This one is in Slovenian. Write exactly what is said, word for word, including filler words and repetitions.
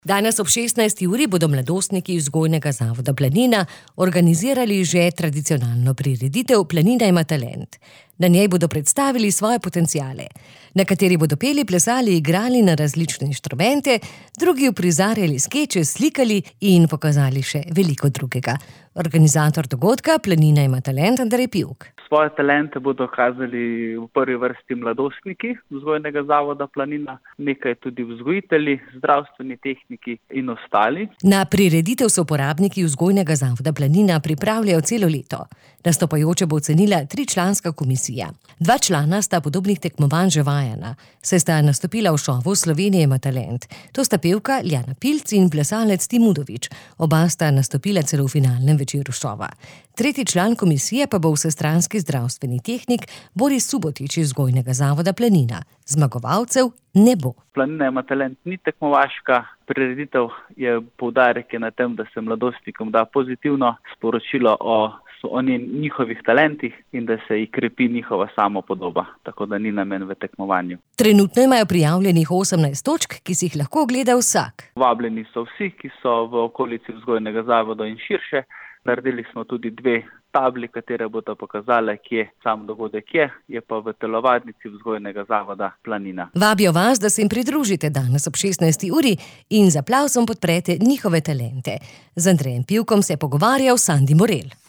Danes ob šestnajsti uri bodo mladostniki Vzgojnega zavoda Planina organizirali že tradicionalno prireditev Planina ima talent. Na njej bodo predstavili svoje potenciale. Nekateri bodo peli, plesali, igrali na različne inštrumente, drugi uprizarjali skeče, slikali in pokazali še veliko drugega. Organizator dogodka Planina ima talent Andrej Pivk. Svoje talente bodo kazali v prvi vrsti mladostniki Vzgojnega zavoda Planina, nekaj tudi vzgojitelji, zdravstveni tehniki in ostali. Na prireditev so uporabniki Vzgojnega zavoda Planina pripravljajo celo leto. Nastopajoče bo ocenila tričlanska komisija. Dva člana sta podobnih tekmovanj že vajena, saj sta nastopila v šovu Slovenija ima talent. To sta pevka Ljana Pilc in plesalec Tim Udovič. Oba sta nastopila celo v finalnem večeru šova. Tretji član komisije pa bo vsestranski zdravstveni tehnik Boris Subotič iz Vzgojnega zavoda Planina. Zmagovalcev ne bo. Planina ima talent ni tekmovaška prireditev, je poudarek je na tem, da se mladostnikom da pozitivno sporočilo o o njihovih talentih in da se jih krepi njihova samopodoba, tako da ni namen v tekmovanju. Trenutno imajo prijavljenih osemnajst točk, ki si jih lahko ogleda vsak. Vabljeni so vsi, ki so v okolici Vzgojnega zavoda in širše. Naredili smo tudi dve tabli, katere bodo pokazale, kje sam dogodek je, je pa v telovadnici Vzgojnega zavoda Planina. Vabijo vas, da se jim pridružite danes ob šestnajsti uri in z aplavzom podprete njihove talente. Z Andrejem Pivkom se je pogovarjal Sandi Morel.